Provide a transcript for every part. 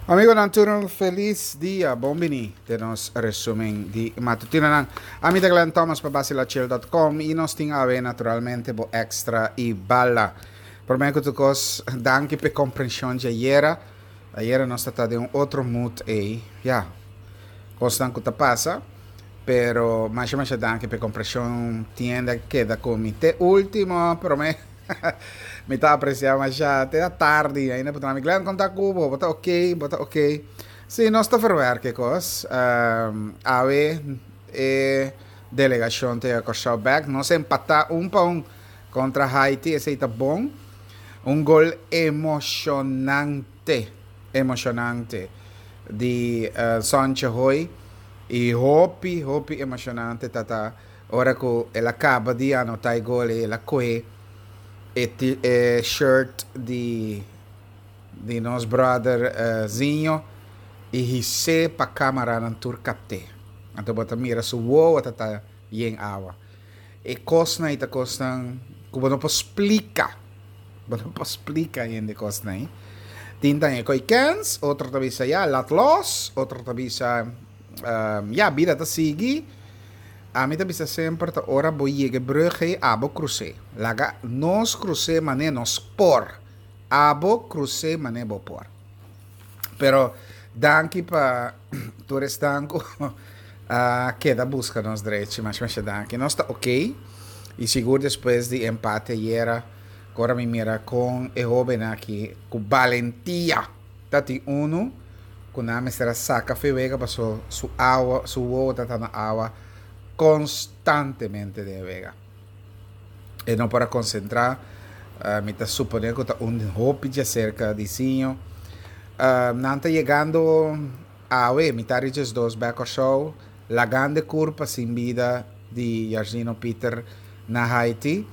Amigonan tur un felis dia, bon bini den nos resumen di matutinonan. Ami ta Glenn Thomas pa Basilachil.com y nos tin awe naturalmente bo extra y bala. Prome cu tur cos, danki p'e comprension di ayera. Ayera nos ta ta den un otro mood ey, ya, cosnan cu ta pasa. Pero masha masha danki p'e comprension, tin hende a keda cu mi te ultimo prome. Mi ta aprecia masha te atardi ainda por mi Glenn con ta cu bo bo ta ok bo ta ok si nos ta verwerk e cos awe e delegacion ta yega Corsou bek nos empata un pa un contra Haiti esey ta bon un gol emocionante emocionante di Sontje Hooi y hopi hopi emocionante ta ta Ora ku el a kaba di anotá e gol ei, el a kohe e e shirt di di nos brother Zinho i his'é pa kamaranan tur kapt'é. Anto bo ta mira su wowo ta ta yen awa. E kosnan ei ta kosnan ku bo no por splika. Bo no por splika hende kosnan ei. Tin ta e koi kens, otro ta bisa ya, lat los, otro ta bisa ya, bida ta sigui. Ami ta bisa semper ta ora bo yega e brug ei abo krus'é. Laga nos krus'é manera nos por. Abo krus'é manera bo por. Pero danki pa tur esnan ku a keda buska nos drechi. Masha masha danki. Nos ta ok. I sigur despues di empate ayera ku ora mi mira kon e hobennan aki ku balentia. Ta tin unu ku nan mester a saka fe wega paso su awa, su wowo ta ta na awa konstantemente den e wega. E no por a konsentrá, mi ta suponé ku ta un hopi djaserka di siño. Nan ta yegando awe, mitar di djesdos bèk Kòrsou, lagando e kurpa sin bida di Jarzino Pieter na Haiti.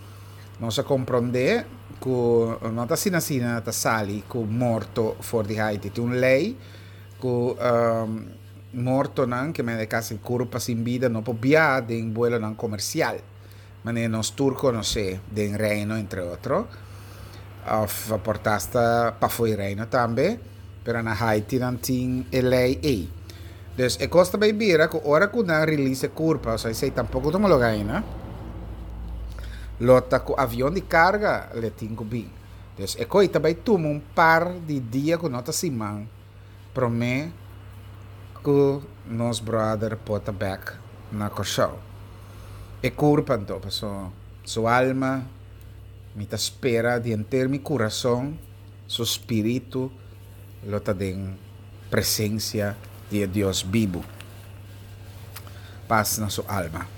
Nos a komprondé ku no ta asina asina ta sali ku morto for di Haiti. Tin un lei ku mortonan, ke mende kasi kurpa sin bida, no por biaha den buelonan komersial, manera nos tur konosé den Reino entre otro, òf por ta asta pafó di Reino tambe. Pero na Haiti nan tin e lei ei. Dus e kos ta bay bira ku ora ku nan release e kurpa, osea esei tampoko ta homologa aina, lo ta ku avion di karga le tin ku bin. Dus e koi ta bay tuma un par di dia ku no ta siman prome ku nos brother por ta bek na Kòrsou. E kurpa anto, paso su alma mi ta spera di henter mi kurason. Su spiritu lo ta den presencia di e Dios bibu. Pas na su alma.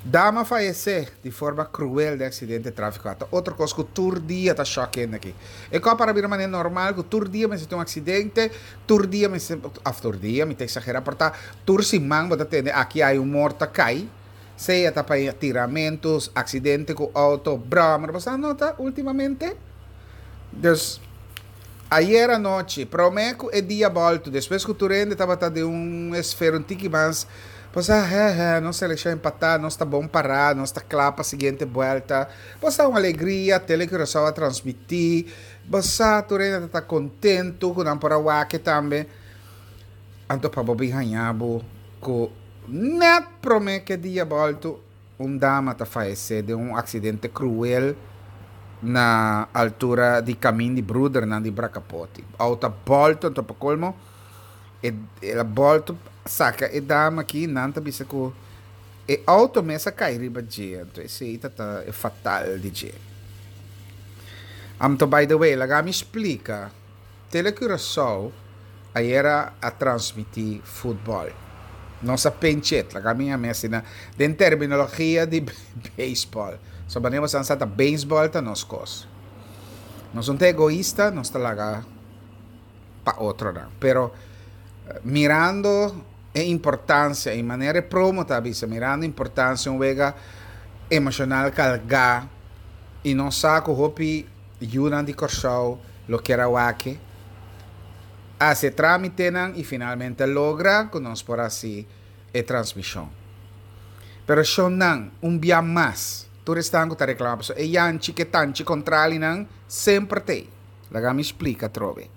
Dama fayece di forma cruel den accidente trafico. Ta otro cos cu tur dia ta shock hende aki. E cos para bira manera normal cu tur dia mester tin un accidente, tur dia mester, of tur dia, mi ta exagera, por ta tur siman bo ta tende aki hay un morto a cay, sea ta pa tiramento, accidente cu auto, brommer, bo sa nota ultimamente? Dus, ayer anochi, prome cu e dia bolto, despues cu tur hende tabata den un esfera un tiki mas, bo sa, he he, nos seleccion empata, nos ta bon para, nos ta cla pa siguiente buelta, bo sa un alegria, Tele Curaçao a transmiti, bo sa tur hende ta contento cu nan por a wak tambe. Anto pa bo bin haña bo ku nèt promé ku e dia bòltu un dama ta fayesé den un aksidente kruel na altura di kamin di Brudernan di Brakapoti. Outo a bòltu anto pa kolmo e el a bòltu saka e dama aki nan ta bisa ku e outo mes a kai riba dje anto esei ta ta e fatal di dje. Anto by the way laga mi splika. Tele Curaçao ayera a transmití futbòl. Nos a penchet, laga mi yam'é asina, den terminologia di beisbòl. So manera boso a sa ta beisbòl ta nos kos. Nos no ta egoista, nos ta laga pa otronan. Pero mirando e importansia i manera e promo ta bisa, mirando e importansia un wega emoshonal kalgá i nos sa ku hopi Yunan di Kòrsou lo kier a wak hasi e trámitenan i finalmente a logra ku nos por hasi e transmishon. Pero shonnan, un bia mas, tur esnan ku ta reklamá pasobra e yanchi ku e tanchi kontralinan semper t'ei. Laga mi splika atrobe.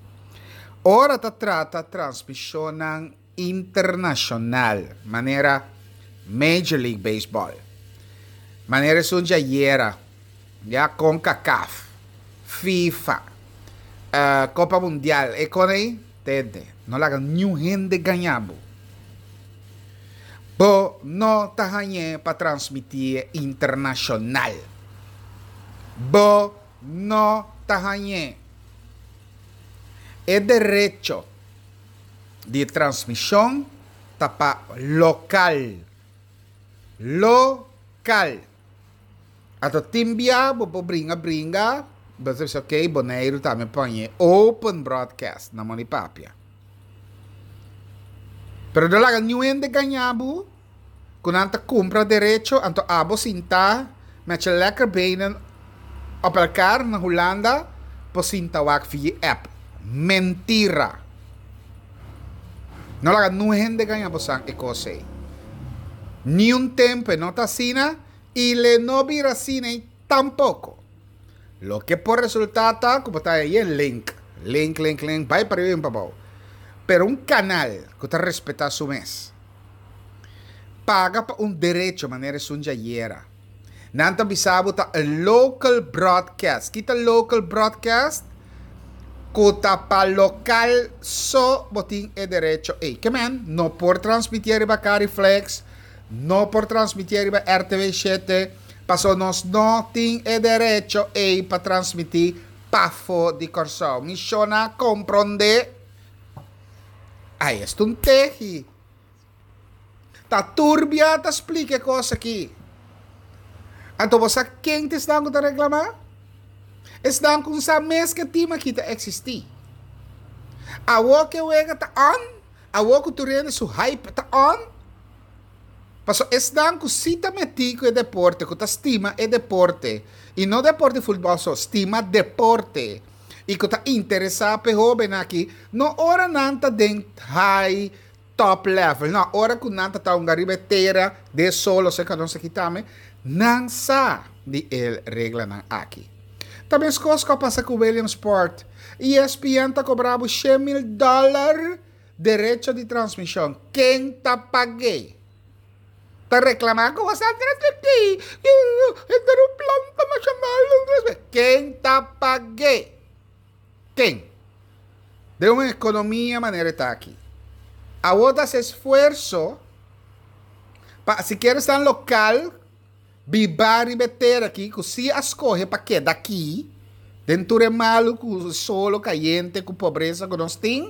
Ora ta trata transmishonnan internashonal manera Major League Baseball, manera esun djayera, ya Concacaf, FIFA, Copa Mundial, e kon ei, tende, no laga niun hende gaña bo. Bo no ta hañ'é pa transmitié internashonal. Bo no ta hañ'é. E derecho di transmishon ta pa lokal. Lokal. Anto tin bia bo por bringa bringa, bo ta bisa ok, Boneiru tambe pon e open broadcast na moni papia. Pero no laga niun hende gaña bo ku nan ta kumpra derecho anto abo sinta met je lekker benen op elkaar na Hulanda por sinta wak via app. Mentira! No laga niun hende gaña bo san e kos ei. Niun tempu e no ta asina i le no bira asina ei tampoko. Loke por resultá ta ku bo ta haña yen link, link, link, link, bai pariba i bin pabou. Pero un kanal ku ta respetá su mes, paga pa un derecho manera esun djayera. Nan ta bisa bo ta a local broadcast. Ki ta local broadcast? Ku ta pa lokal so bo tin e derecho ei. Ke men no por transmitié riba Cariflex, no por transmitié riba RTV shete, paso nos no tin e derecho ei pa transmití pafó di Kòrsou. Mi shona komprondé? Ai, esta un tehi. Ta turbia ta splika e kos aki. Anto bo sa ken ta esnan ku ta reklamá? Esnan ku sa mes ku e tim aki ta eksistí. Awor ku e wega ta on, awor ku tur hende su hype ta on, pasobra esnan ku si ta metí ku e deporte, ku ta stima e deporte, i no deporte di futbòl so, stima deporte, i ku ta interesá pa e hóbennan aki, no ora nan ta den high top level. No, ora ku nan ta ta hunga riba e tera de solo serka nos aki tambe, nan sa di e reglanan aki. Ta meskos ku a pasa ku Williamsport. ESPN ta kobra bo 100,000 dòler derecho di transmishon. Ken ta pag'é? Ta reklamá ku boso a transmití henter un planta nashonal. Ken ta pag'é? Ken? Den un ekonomia manera e ta aki. Awor ta hasi esfuerso pa sikiera esnan lokal biba riba e tera aki ku si a skohe pa keda aki den tur e malu ku solo kayente ku pobresa ku nos tin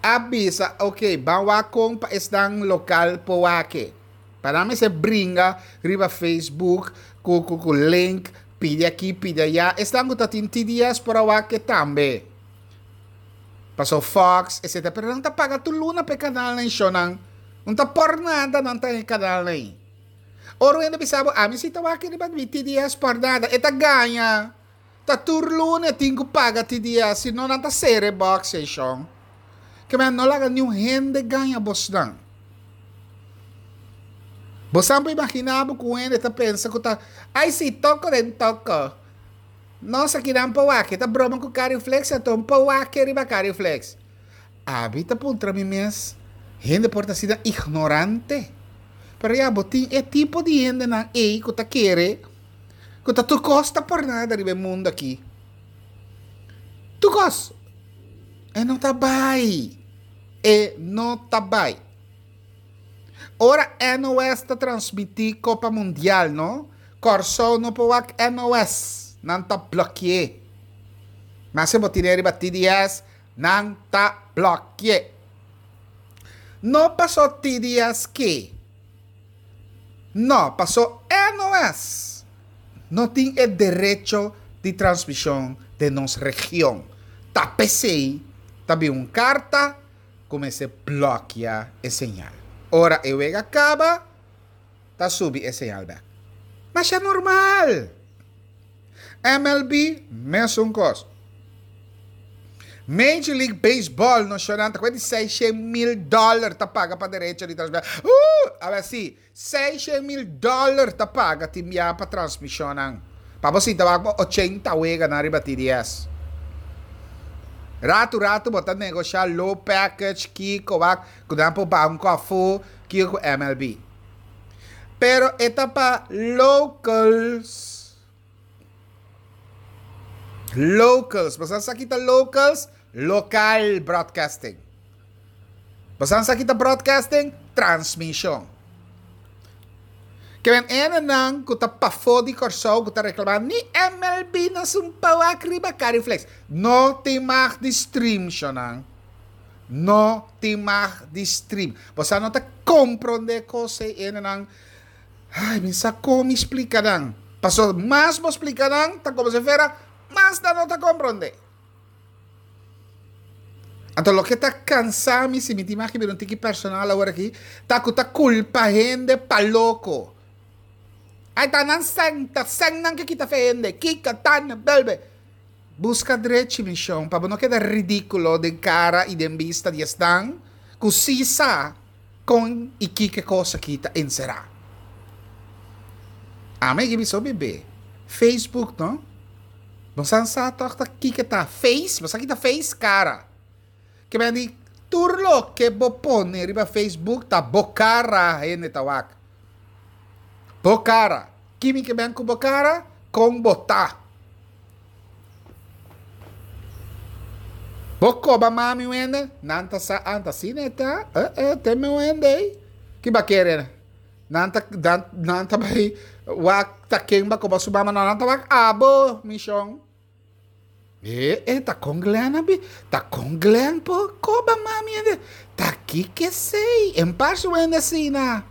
a bisa ok ban wak kon pa esnan lokal por wak e. Pa nan mester bringa riba Facebook ku ku ku link pidi aki pidi aya esnan ku ta tin TDS por a wak e tambe. Paso Fox etcetera pero nan ta paga tur luna pa e kanalnan ei shownan. No ta por nada nan ta e kanalnan ei. Ora un hende bisa bo ami si ta wak riba mi TDS por nada e ta gaña. Ta tur luna e tin ku paga TDS si no nan ta sera e box ei shon. Ke men no laga niun hende gaña bosnan. Bosan por imagina bo ku un hende ta pensa ku ta ai si toko den toko. Nos akinan por wak e ta broma ku Cariflex anto un por wak e riba Cariflex. Abi ta puntra mi mes, hende por ta asina ignorante? Pero ya bo tin e tipo di hendenan ei ku ta kere ku ta tur kos ta por nada riba e mundu aki. Tur kos. E no ta bai. E no ta bai. Ora NOS ta transmití Kopa Mundial no, Kòrsou no por wak NOS. Nan ta blòkié. Maske bo tine riba TDS, nan ta blòkié. No pasó TDS ke. No, pasó NOS no tin e derecho di transmishon den nos region. Ta p'esei ta bin un karta ku mester blòkia e señal. Ora e wega kaba, ta subi e señal bèk. Masha normal! MLB, mesun kos. Major League Baseball no shona ta kuenta di 600 mil dòler ta paga pa derecho di transmishon. Awe si, 600 mil dòler ta paga tin bia pa transmishonnan. Pa bo sinta wak bo 80 weganan riba TDS. Ratu ratu bo ta negoshá low package kiko wak ku nan por baha un kòfó kiko ku MLB. Pero e ta pa locals. Locals. Bo sa ki ta locals? Local broadcasting. Bo sa ki ta broadcasting? Transmishon. Ke men enenan ku ta pafó di Kòrsou ku ta reklamá ni MLB no sun pawak riba Cariflex. No tin mag di stream shonnan. No tin mag di stream. Bo sa no ta komprondé kos ei enenan. Ai, mi sa kon mi splika nan. Paso mas bo splika nan ta komo si fuera mas nan no ta komprondé. Anto loke ta kansa mi, si mi tin mag bira un tiki personal awor aki, ta ku ta kulpa hende pa loko. Ai ta nan sèn, ta sènnan ke kita fe hende, kiko tan belbe. Buska drechi mi shon, pa bo no keda ridikulo den kara i den bista di esnan ku si sa kon i kiko e kos aki ta enserá. Ami a gibi so bebe Facebook no. Bo san sa tòg ta kiko ta face, bo sa ki ta face? Kara. Ke men di tur loke bo pone riba Facebook ta bo kara hende ta wak. Bo kara. Kimi ke men ku bo kara? Kon bo ta. Bo koba mami un hende, nan ta sa anta asina e ta, eh eh te me un hende ei. Ki ba kere? Nan ta nan nan ta bai wak ta ken ba koba su mama no nan ta wak abo mi shon. E e ta kon Glenn a bi ta kon Glenn por koba mami hende ta kiko esei en par su hende asina.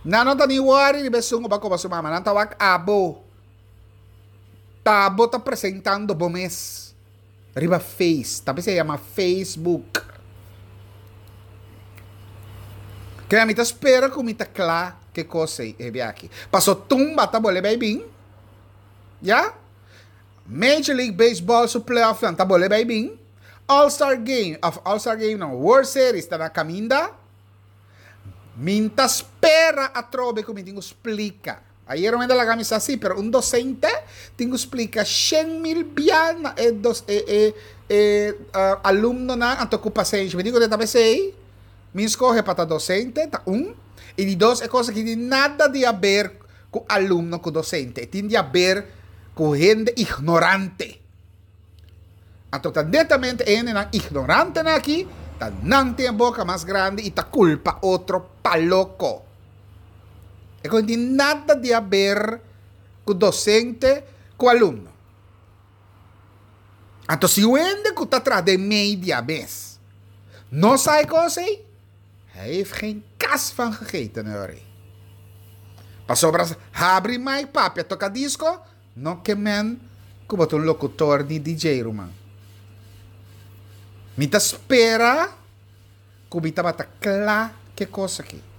Nan no ta ni wòri riba esun ku ba koba su mama nan ta wak abo. Ta abo ta presentando bo mes. Riba face, ta bisa yama Facebook. Krea mi ta spera ku mi ta kla ke kos ei e biaha aki. Paso tumba ta bole bai bin. Ya? Major League Baseball su playoffnan ta bole bai bin. All Star Game, of All Star Game no, World Series ta na kaminda. Mi ta spera atrobe ku mi tin ku splika. Ayer un hende laga mi sa si, pero un docente tin cu splica 100.000 bia na e dos e e e alumnonan anto cu pasenshi. Mi di cu ta pesey mi scoge pa ta docente, ta un, y di dos e cosa aki tin nada di haber cu alumno cu docente, e tin di haber cu hende ignorante. Anto ta netamente e hendenan ignorantenan aki ta nan tin e boca mas grandi y ta culpa otro pa loco. E no tin nada di haber ku dosente ku alumno. Anto si un hende ku ta traha den media mes no sa e kos ei, hij heeft geen kas van gegeten hoor. Pasobra habri mic papia toka disko no ke men ku bo ta un lokutor ni DJ ruman. Mi ta spera. Ku mi tabata kla ke kos aki.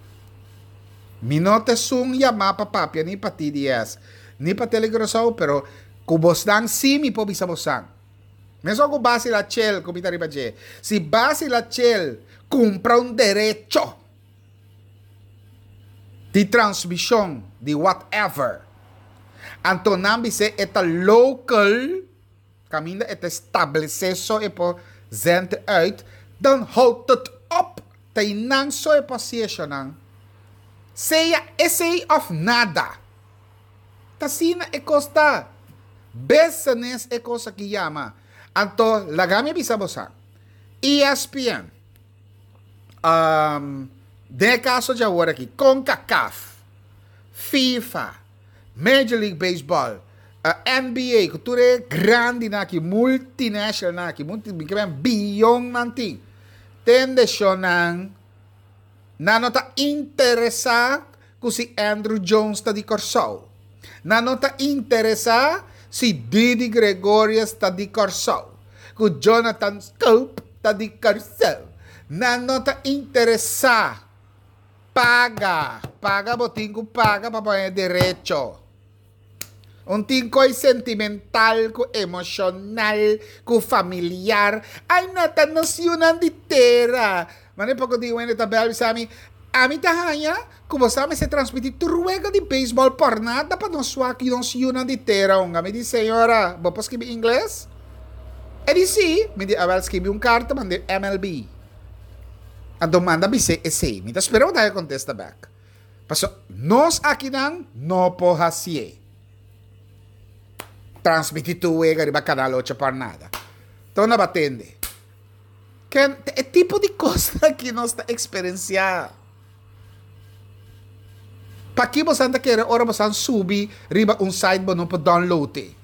Mi no ta esun yamá pa papia ni pa TDS, ni pa Tele Curaçao, pero ku bosnan sí mi por bisa bosan. Mesun ku Basi Lachel ku mi ta riba dje. Si Basi Lachel kumpra un derecho di transmishon di whatever, anto nan bis'é e ta local. Kaminda e ta establesé so e por zend uit, dan houdt het op. Ta einan so e por hasi eshonan. Sea esei òf nada. Ta asina e kos ta. Business e kos aki yama. Anto laga mi bisa bosa. ESPN, den e kaso dje awor aki, Concacaf, FIFA, Major League Baseball, NBA, ku tur e grandinan aki, multinationalnan aki, multi, mi ke men biyonnan tin. Tende shonnan, nan no ta interesá ku si Andruw Jones ta di Kòrsou. Nan no ta interesá si Didi Gregorius ta di Kòrsou, ku Jonathan Schoop ta di Kòrsou. Nan no ta interesá. Paga, paga bo tin ku paga pa pone derecho. Un tin koi sentimental ku emoshonal ku familiar. Ai no ta nos yunan di tera. Mane poko di wende ta bel bisa mi, ami ta haña ku bo sa mester transmiti tur wega di beisbòl por nada pa nos wak nos yunan di tera hunga. Mi di señora bo por skibi ingles? E di si, mi di awel skibi un karta manda MLB. Anto manda bis'é esei. Mi ta spera bo ta haña kontesta bèk. Pasobra nos akinan no por hasié. Transmití tur wega riba Kanal Ocho por nada. Ta unda bo a tende? Ken ta e tipo di kosnan aki nos ta eksperensiá. Paki bosan ta kere ora bosan subi riba un site bo no por download e?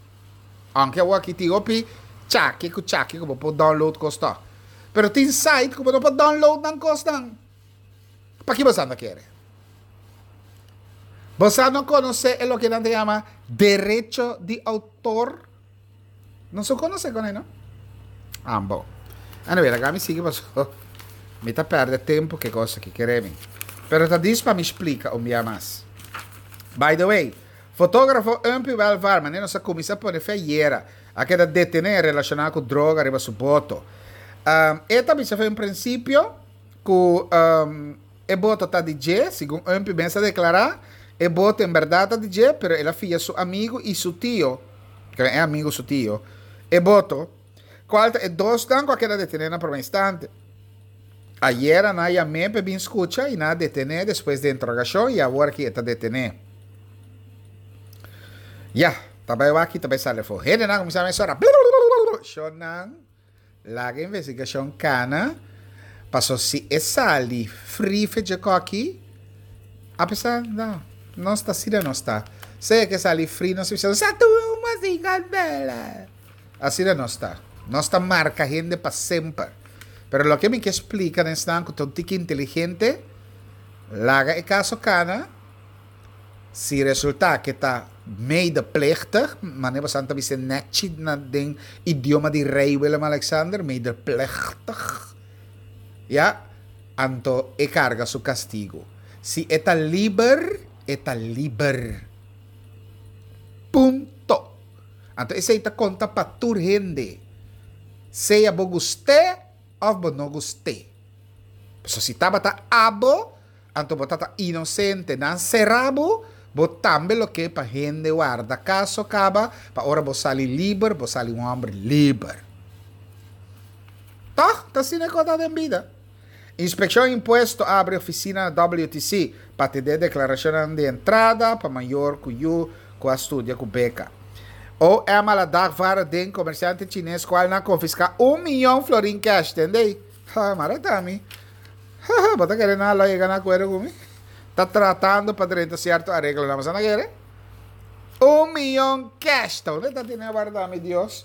Aunke awor aki tin hopi chaki ku chaki ku bo por download kos tòg. Pero tin site ku bo no por download nan kosnan. Paki bosan ta kere? Bosan no konosé e loke nan ta yama derecho di outor? Nos no konosé kon ei no. Ah bon. Anyway, laga mi sigui paso mi ta pèrdè tempu ku e kos aki, kere mi. Pero ta dis pa mi splika un bia mas. By the way, fotógrafo Umpy Welvaar, manera nos a kuminsá pone fe ayera, a keda detené relashoná ku droga riba su boto. E ta bisa fe un prinsipio ku E boto ta di dje, segun Umpy mes a deklará. E boto en bèrdat ta di dje, pero el a fia su amigu i su tio, kende e amigu su tio, e boto, kual ta e dosnan ku a keda detené na promé instante. Ayera nan a yam'é pa e bin skucha i nan a detené despues di interogashon i awor aki e ta detené. Ya, ta bai wak i ta bai sali afó. Hendenan a kuminsá mesora, Shonnan. Laga investigashon kana, paso si e sali fri fecha koki, apesar no, nos ta asina nos ta. Sea ke sali fri nos ta bisa sa tuma sin kandela. Asina nos ta. Nos ta marka hende pa semper. Pero loke mi ke splika na esnan ku ta un tiki inteligente, laga e kaso kana. Si resultá ke ta medeplichtig, manera boso ta bisa nèchi na den idioma di Rei Willem-Alexander, medeplichtig, ya, anto e karga su kastigu. Si e ta liber, e ta liber. Punto. Anto esei ta konta pa tur hende, sea bo gust'é òf bo no gust'é. Pasobra si tabata abo, Anto bo ta ta inosente, nan sera bo, bo tambe lo ke pa hende warda kaso kaba pa ora bo sali liber, bo sali un hòmber liber. Tòg, ta asina ku a ta den bida. Inspekshon Impuesto a abri ofisina na WTC pa atendé deklarashonnan di entrada pa mayor ku yu ku a studia ku beka. OM a la dagvara den komersiante chines kual nan konfiská un miyon florin kèsh, tende? Ha, mara ta mi. Haha, bo ta kere nan a lo yega na akuerdo ku mi? Ta tratando pa drenta sierto areglonan, bo sa na kere? Un miyon cash! Ta unda ta tene warda mi Dios?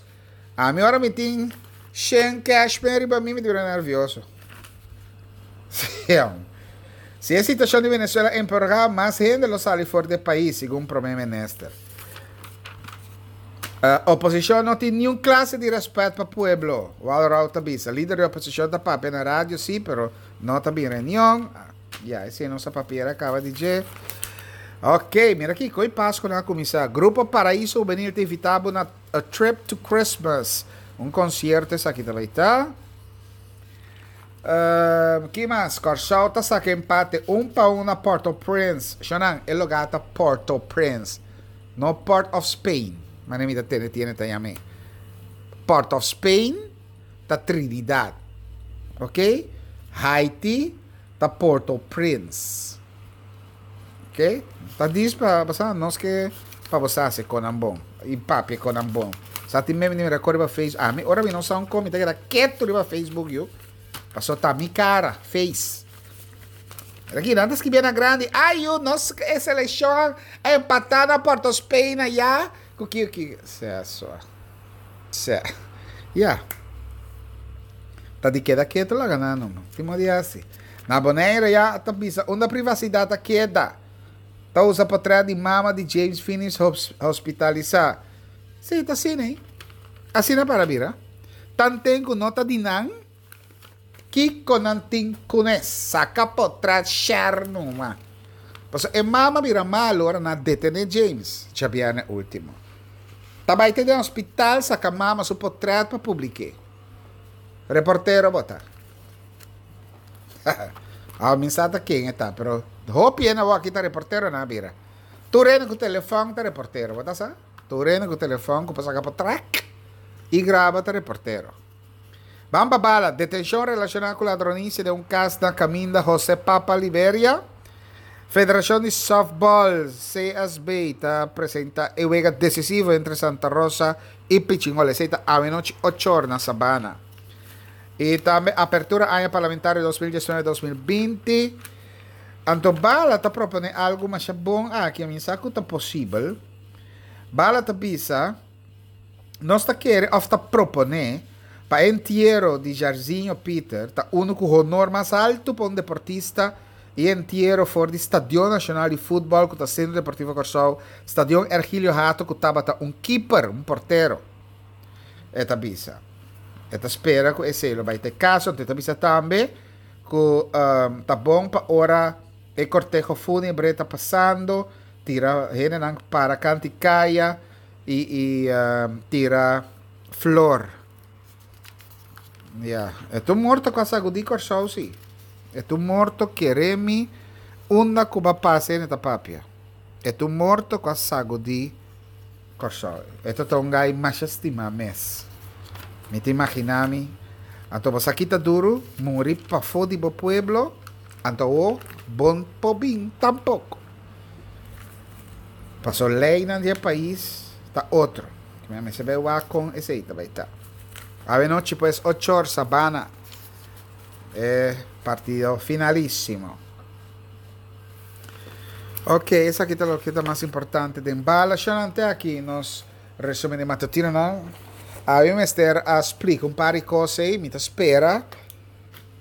Ami ora mi tin shen cash pen riba mi, mi ta bira nervioso. Si e situacion di Venezuela empeorá, mas hende lo sali for di e pais, segun Prome Minister. Oposicion no tin niun clase di respet pa pueblo, Walroud ta bisa. Lider di oposicion ta papia na radio si, pero no ta bin reunion. Ya, esey nos a papiera caba di dje. Ok, mira aki, koe Pasco nan a cuminsa. Grupo Paraiso Juvenil ta invita bo na A Trip to Christmas. Un concierto esaki ta bay ta. Ki mas? Kòrsou ta saka empate un pa un na Port-au-Prince. Shonan, e lugá ta Port-au-Prince, no Port of Spain, manera mi ta tende tiene ta yam'é. Port of Spain ta Trinidad, ok? Haiti ta Port-au-Prince. Ok, ta dis pa bo nos ke pa bo sa hasi konan bon i papia konan bon. Sa tin meme di mi rekord riba Facebook. Ami ora mi no sa un kon mi ta keda ketu riba Facebook yu. Paso ta mi kara, face. Aki nan ta skibi na grandi, ay yu nos e selekshon a empatá na Port of Spain ayá ku ki ki. Sea so. Sea. Ya. Ta di keda ketu laga nan no. Tin modo di hasi. Na Bonaire ya ta bisa unda privasidat a keda. Ta usa potret di mama di James Finies hospitalisá. Sí, ta asina ei. Asina para bira. Tanten ku no ta di nan, kiko nan tin kuné? Saka potret share numa. Pasobra e mama bira malu ora nan a detené James djabièrnè último. Ta bai te den hospital saka mama su potret pa publik'é. Reportero bo ta. Awa mi sa ta ken e ta, pero hopi hende awor aki ta reportero nan a bira. Tur hende ku telefòn ta reportero, bo ta sa? Tur hende ku telefòn ku por saka por trèk. I graba ta reportero. Ban pa bala, detenshon relashoná ku ladronisia den un kas na kaminda Jose Papa Liberia. Federashon di Softball, CSB, ta presenta e wega desisivo entre Santa Rosa i Pichingol. Esei ta awenochi ochor na Sabana. I tambe apertura aña parlamentario 2019 2020. Anto Bala ta propone algu masha bon aki, mi sa ku ta posibel. Bala ta bisa, Nos ta kere òf ta proponé pa e entiero di Jairzinho Pieter ta unu ku honor mas altu pa un deportista i e entiero for di Stadion Nashonal di Futbòl ku ta Sentro Deportivo Kòrsou, Stadion Ergilio Hato ku tabata un kiper, un portero. E ta bisa. E ta spera ku esei lo bai ta e kaso. Anto e ta bisa tambe ku ta bon pa ora e korteho fúnebre ta pasando tira hendenan para kant'i kaya i i tira flor. Ya, e ta un morto ku a sagudí Kòrsou sí. E ta un morto kere mi unda ku bo a pasa hende ta papia. E ta un morto ku a sagudí Kòrsou. E ta ta un gai masha stimá mes. Mi ta imaginá mi, anto bo sa kita duru muri pafó di bo pueblo, anto awor bo no por bin tampoko. Paso leynan di e pais ta otro. Mi mester bay wak con esey ta bay ta. Awe nochi pues ochor Sabana e partido finalisimo. Ok, esaki ta loke ta mas importante den bala. Shonante aki nos resumen di matutinonan. Awe mester a splika un par di cos ey. Mi ta spera.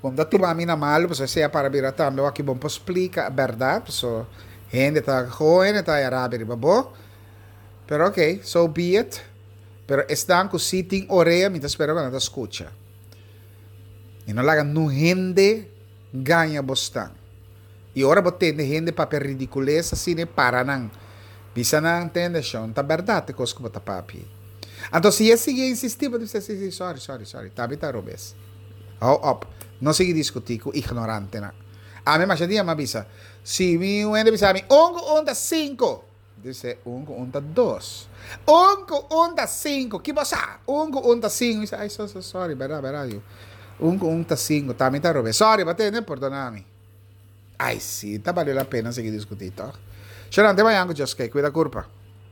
Bo ta tuma mi na malu pasobra esei a para bira tambe wak bo por splika bèrdat paso hende ta ho hende ta haya rabia riba bo pero ok so be it pero esnan ku si tin orea mi ta spera ku nan ta skucha i no laga nun hende gaña bosnan i ora bo tende hende papia ridikules asina para nan bisa nan tende shon ta bèrdat e kos ku bo ta papia anto si e sigui insisti bo ta bisa si si sorry sorry sorry tambe ta robes. Hou op. No sigui diskutí ku ignorantenan. Ami masha dia mi a bisa, si mi un hende bisa mi, un ku un ta sinku. Dice, un ku un ta dos. Un ku un ta sinku. Ki bo sa? Un ku un ta sinku. Mi bisa, ay, so, so, sorry, bèrdat, bèrdat, yu. Un ku un ta sinku. Ta mi ta robes. Sorry, bo tende? Pordona mi. Ay, si, ta bale la pena sigui diskutí, tòg? Shonante mañan ku Dios ke. Kuida kurpa.